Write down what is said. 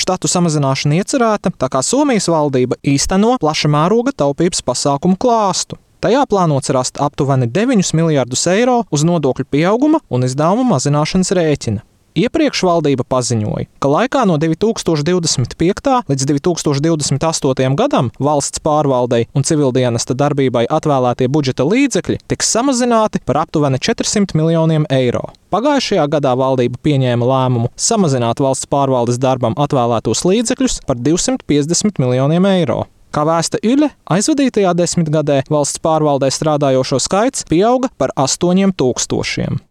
štatu samazināšana iecerēta, tā kā Somijas valdība īsteno plaša mēroga taupības pasākumu klāstu. Tajā plānots rast aptuveni 9 miljardus eiro uz nodokļu pieauguma un izdevumu mazināšanas rēķina. Iepriekš valdība paziņoja, ka laikā no 2025. līdz 2028. gadam valsts pārvaldei un civildienesta darbībai atvēlētie budžeta līdzekļi tiks samazināti par aptuveni 400 miljoniem eiro. Pagājušajā gadā valdība pieņēma lēmumu samazināt valsts pārvaldes darbam atvēlētos līdzekļus par 250 miljoniem eiro. Kā vēsta Yle, aizvadītajā desmitgadē valsts pārvaldē strādājošo skaits pieauga par 8000.